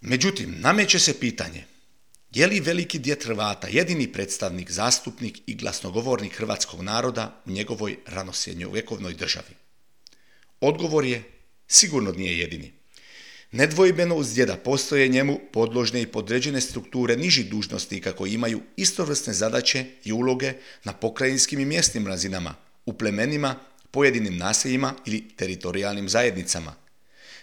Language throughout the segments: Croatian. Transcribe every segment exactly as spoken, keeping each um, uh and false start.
Međutim, nameće se pitanje, je li veliki djed Hrvata jedini predstavnik, zastupnik i glasnogovornik hrvatskog naroda u njegovoj ranosrednjovjekovnoj državi? Odgovor je, sigurno nije jedini. Nedvojbeno uz djeda postoje njemu podložne i podređene strukture nižih dužnosnika koji imaju istovrsne zadaće i uloge na pokrajinskim i mjesnim razinama, u plemenima, pojedinim naseljima ili teritorijalnim zajednicama.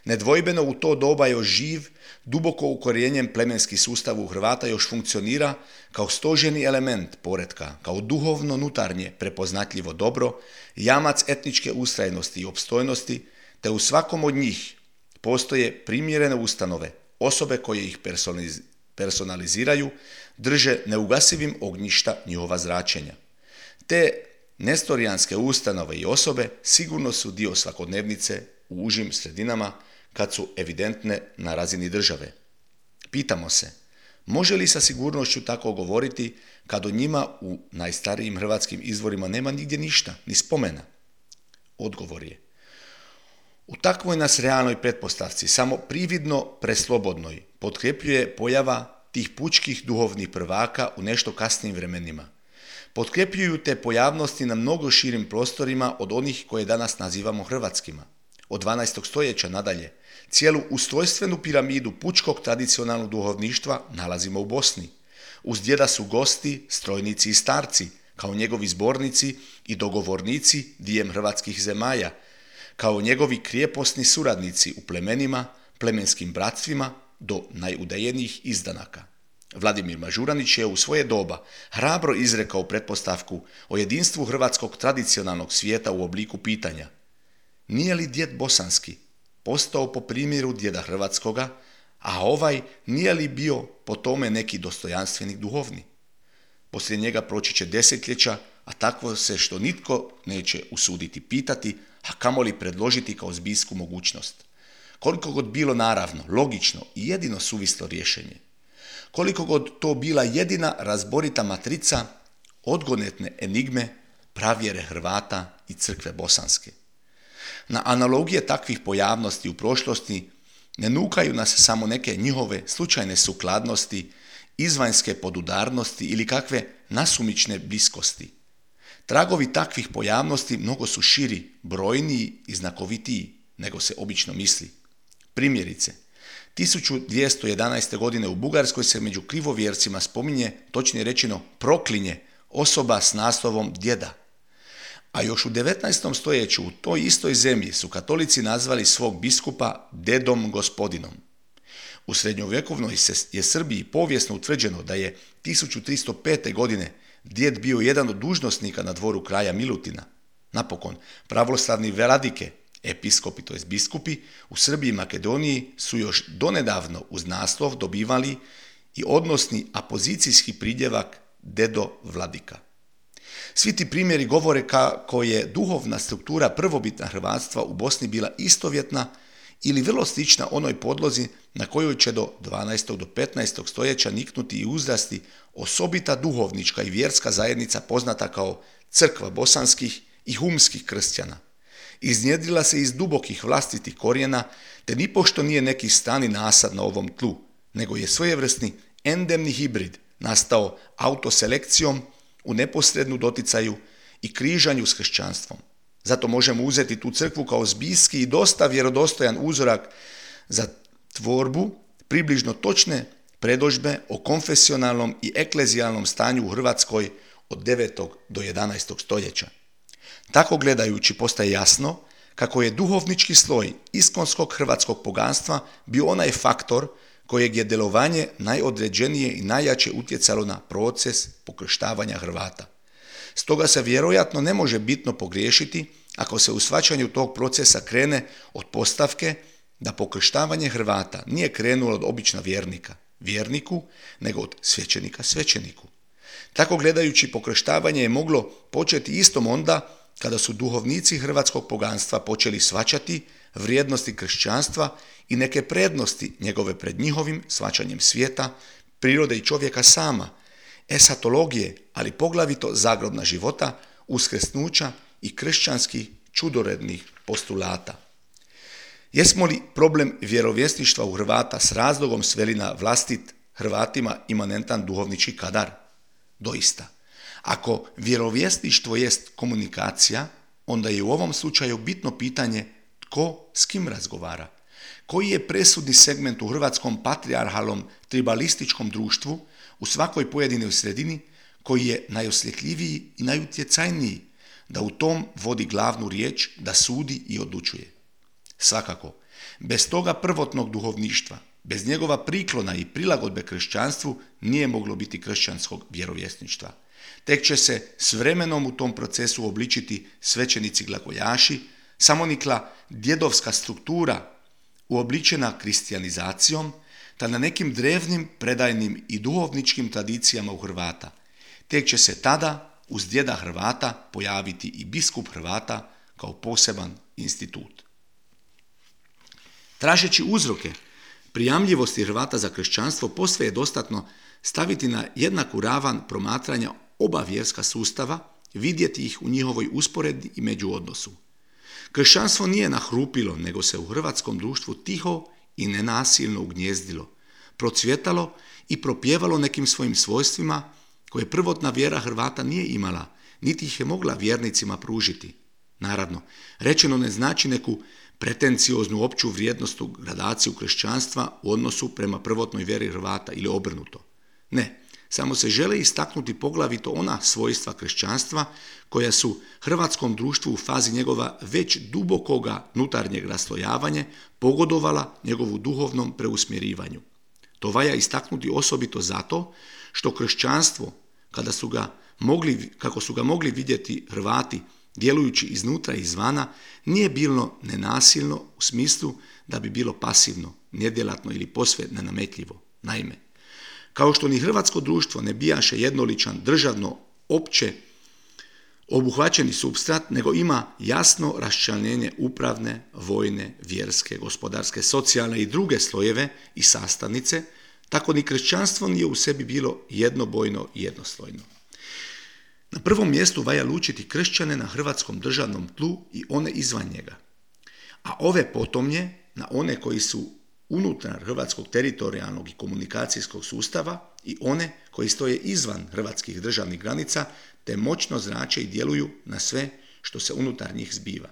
Nedvojbeno u to doba još živ, duboko ukorijenjen plemenski sustav u Hrvata još funkcionira kao stožerni element poretka, kao duhovno nutarnje prepoznatljivo dobro, jamac etničke ustrajnosti i opstojnosti, te u svakom od njih postoje primjerene ustanove, osobe koje ih personaliziraju, drže neugasivim ognjišta njihova zračenja. Te nestorijanske ustanove i osobe sigurno su dio svakodnevnice u užim sredinama kad su evidentne na razini države. Pitamo se, može li sa sigurnošću tako govoriti kad o njima u najstarijim hrvatskim izvorima nema nigdje ništa, ni spomena? Odgovor je, u takvoj nas realnoj pretpostavci, samo prividno preslobodnoj, potkrepljuje pojava tih pučkih duhovnih prvaka u nešto kasnijim vremenima. Potkrepljuju te pojavnosti na mnogo širim prostorima od onih koje danas nazivamo hrvatskima. Od dvanaestog stoljeća nadalje, cijelu ustrojstvenu piramidu pučkog tradicionalnog duhovništva nalazimo u Bosni. Uz djeda su gosti, strojnici i starci, kao njegovi zbornici i dogovornici dijem hrvatskih zemalja, kao njegovi krijeposni suradnici u plemenima, plemenskim bratstvima do najudaljenijih izdanaka. Vladimir Mažuranić je u svoje doba hrabro izrekao pretpostavku o jedinstvu hrvatskog tradicionalnog svijeta u obliku pitanja: nije li djed bosanski postao po primjeru djeda hrvatskoga, a ovaj nije li bio po tome neki dostojanstvenik duhovni? Poslije njega proći će desetljeća, a takvo se što nitko neće usuditi pitati, a kamoli predložiti kao zbijsku mogućnost. Koliko god bilo naravno, logično i jedino suvislo rješenje. Koliko god to bila jedina razborita matrica odgonetne enigme pravjere Hrvata i crkve bosanske. Na analogije takvih pojavnosti u prošlosti ne nukaju nas samo neke njihove slučajne sukladnosti, izvanjske podudarnosti ili kakve nasumične bliskosti. Tragovi takvih pojavnosti mnogo su širi, brojniji i znakovitiji nego se obično misli. Primjerice, tisuću dvjesto jedanaeste. godine u Bugarskoj se među krivovjercima spominje, točnije rečeno proklinje, osoba s naslovom djeda. A još u devetnaestom. stoljeću u toj istoj zemlji su katolici nazvali svog biskupa dedom gospodinom. U srednjovjekovnoj je Srbiji povijesno utvrđeno da je tisuću tristo pete. godine djed bio jedan od dužnosnika na dvoru kralja Milutina. Napokon, pravoslavni vladike, episkopi, to jest biskupi, u Srbiji i Makedoniji su još donedavno uz naslov dobivali i odnosni apozicijski pridjevak dedo vladika. Svi ti primjeri govore kako je duhovna struktura prvobitna hrvatstva u Bosni bila istovjetna ili vrlo slična onoj podlozi na kojoj će do dvanaestog. do petnaestog. stoljeća niknuti i uzrasti osobita duhovnička i vjerska zajednica poznata kao crkva bosanskih i humskih kršćana. Iznjedrila se iz dubokih vlastitih korijena, te nipošto nije neki strani nasad na ovom tlu, nego je svojevrsni endemni hibrid nastao autoselekcijom u neposrednu doticaju i križanju s kršćanstvom. Zato možemo uzeti tu crkvu kao zbijski i dosta vjerodostojan uzorak za tvorbu približno točne predodžbe o konfesionalnom i eklezijalnom stanju u Hrvatskoj od devetog. do jedanaestog. stoljeća. Tako gledajući postaje jasno kako je duhovnički sloj iskonskog hrvatskog poganstva bio onaj faktor kojeg je djelovanje najodređenije i najjače utjecalo na proces pokrštavanja Hrvata. Stoga se vjerojatno ne može bitno pogriješiti ako se u shvaćanju tog procesa krene od postavke da pokrštavanje Hrvata nije krenulo od obična vjernika, vjerniku, nego od svećenika svećeniku. Tako gledajući pokrštavanje je moglo početi istom onda kada su duhovnici hrvatskog poganstva počeli shvaćati vrijednosti kršćanstva i neke prednosti njegove pred njihovim shvaćanjem svijeta, prirode i čovjeka sama, esatologije, ali poglavito zagrobna života, uskrsnuća i kršćanskih čudorednih postulata. Jesmo li problem vjerovjesništva u Hrvata s razlogom sveli na vlastit Hrvatima imanentan duhovnički kadar? Doista. Ako vjerovjesništvo jest komunikacija, onda je u ovom slučaju bitno pitanje tko s kim razgovara. Koji je presudni segment u hrvatskom patrijarhalnom tribalističkom društvu u svakoj pojedinoj sredini koji je najosjetljiviji i najutjecajniji da u tom vodi glavnu riječ, da sudi i odlučuje. Svakako, bez toga prvotnog duhovništva, bez njegova priklona i prilagodbe kršćanstvu nije moglo biti kršćanskog vjerovjesništva. Tek će se s vremenom u tom procesu obličiti svećenici glagoljaši, samonikla djedovska struktura uobličena kristijanizacijom, ta na nekim drevnim, predajnim i duhovničkim tradicijama u Hrvata. Tek će se tada uz djeda Hrvata pojaviti i biskup Hrvata kao poseban institut. Tražeći uzroke prijamljivosti Hrvata za kršćanstvo, posve je dostatno staviti na jednaku ravan promatranja oba vjerska sustava, vidjeti ih u njihovoj usporedbi i međuodnosu. Kršćanstvo nije nahrupilo, nego se u hrvatskom društvu tiho i nenasilno ugnjezdilo, procvjetalo i propjevalo nekim svojim svojstvima koje prvotna vjera Hrvata nije imala, niti ih je mogla vjernicima pružiti. Naravno, rečeno ne znači neku pretencioznu opću vrijednostnu gradaciju kršćanstva u odnosu prema prvotnoj vjeri Hrvata ili obrnuto. Ne, samo se žele istaknuti poglavito ona svojstva kršćanstva koja su hrvatskom društvu u fazi njegova već dubokoga nutarnjeg raslojavanja pogodovala njegovu duhovnom preusmjerivanju. To valja istaknuti osobito zato što kršćanstvo, kada su ga mogli, kako su ga mogli vidjeti Hrvati djelujući iznutra i izvana, nije bilo nenasilno u smislu da bi bilo pasivno, nedjelatno ili posve nenametljivo. Naime, kao što ni hrvatsko društvo ne bijaše jednoličan državno opće obuhvaćeni supstrat, nego ima jasno raščlanjenje upravne, vojne, vjerske, gospodarske, socijalne i druge slojeve i sastavnice, tako ni kršćanstvo nije u sebi bilo jednobojno i jednoslojno. Na prvom mjestu valja lučiti kršćane na hrvatskom državnom tlu i one izvan njega, a ove potomnje na one koji su unutar hrvatskog teritorijalnog i komunikacijskog sustava i one koji stoje izvan hrvatskih državnih granica te moćno zrače i djeluju na sve što se unutar njih zbiva.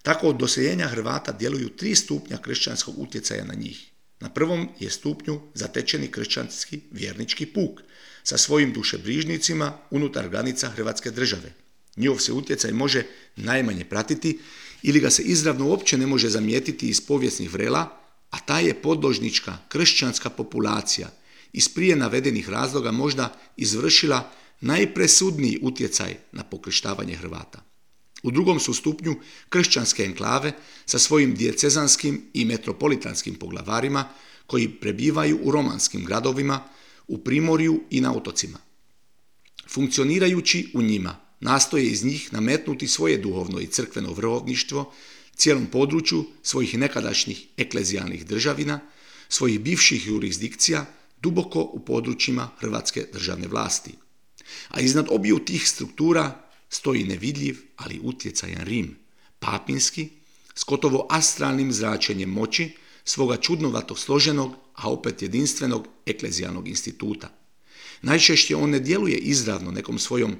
Tako od doseljenja Hrvata djeluju tri stupnja kršćanskog utjecaja na njih. Na prvom je stupnju zatečeni kršćanski vjernički puk sa svojim dušebrižnicima unutar granica Hrvatske države. Njihov se utjecaj može najmanje pratiti ili ga se izravno uopće ne može zamijetiti iz povijesnih vrela, a ta je podložnička kršćanska populacija iz prije navedenih razloga možda izvršila najpresudniji utjecaj na pokrštavanje Hrvata. U drugom su stupnju kršćanske enklave sa svojim dijecezanskim i metropolitanskim poglavarima koji prebivaju u romanskim gradovima, u Primorju i na otocima. Funkcionirajući u njima, nastoje iz njih nametnuti svoje duhovno i crkveno vrhovništvo cijelom području svojih nekadašnjih eklezijalnih državina, svojih bivših jurisdikcija, duboko u područjima hrvatske državne vlasti. A iznad obiju tih struktura stoji nevidljiv, ali utjecajan Rim, papinski, s gotovo astralnim zračenjem moći svoga čudnovato složenog, a opet jedinstvenog eklezijalnog instituta. Najčešće on ne djeluje izravno nekom svojom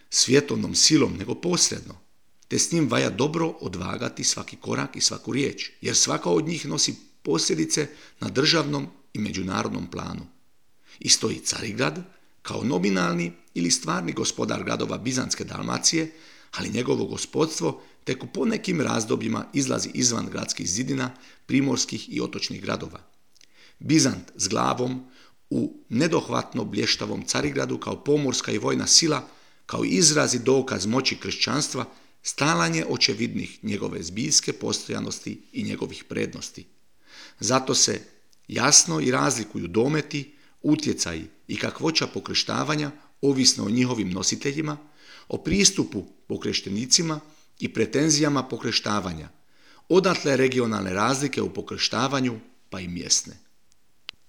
svjetovnom silom, nego posredno, te s njim valja dobro odvagati svaki korak i svaku riječ, jer svaka od njih nosi posljedice na državnom i međunarodnom planu. I stoji Carigrad kao nominalni ili stvarni gospodar gradova Bizantske Dalmacije, ali njegovo gospodstvo tek u ponekim razdobljima izlazi izvan gradskih zidina primorskih i otočnih gradova. Bizant s glavom u nedohvatno blještavom Carigradu kao pomorska i vojna sila, kao izraz i dokaz moći kršćanstva, stalan je očevidnih njegove zbiljske postojanosti i njegovih prednosti. Zato se jasno i razlikuju dometi, utjecaji i kakvoća pokrštavanja ovisno o njihovim nositeljima, o pristupu pokreštenicima i pretenzijama pokrštavanja, odatle regionalne razlike u pokrštavanju pa i mjesne.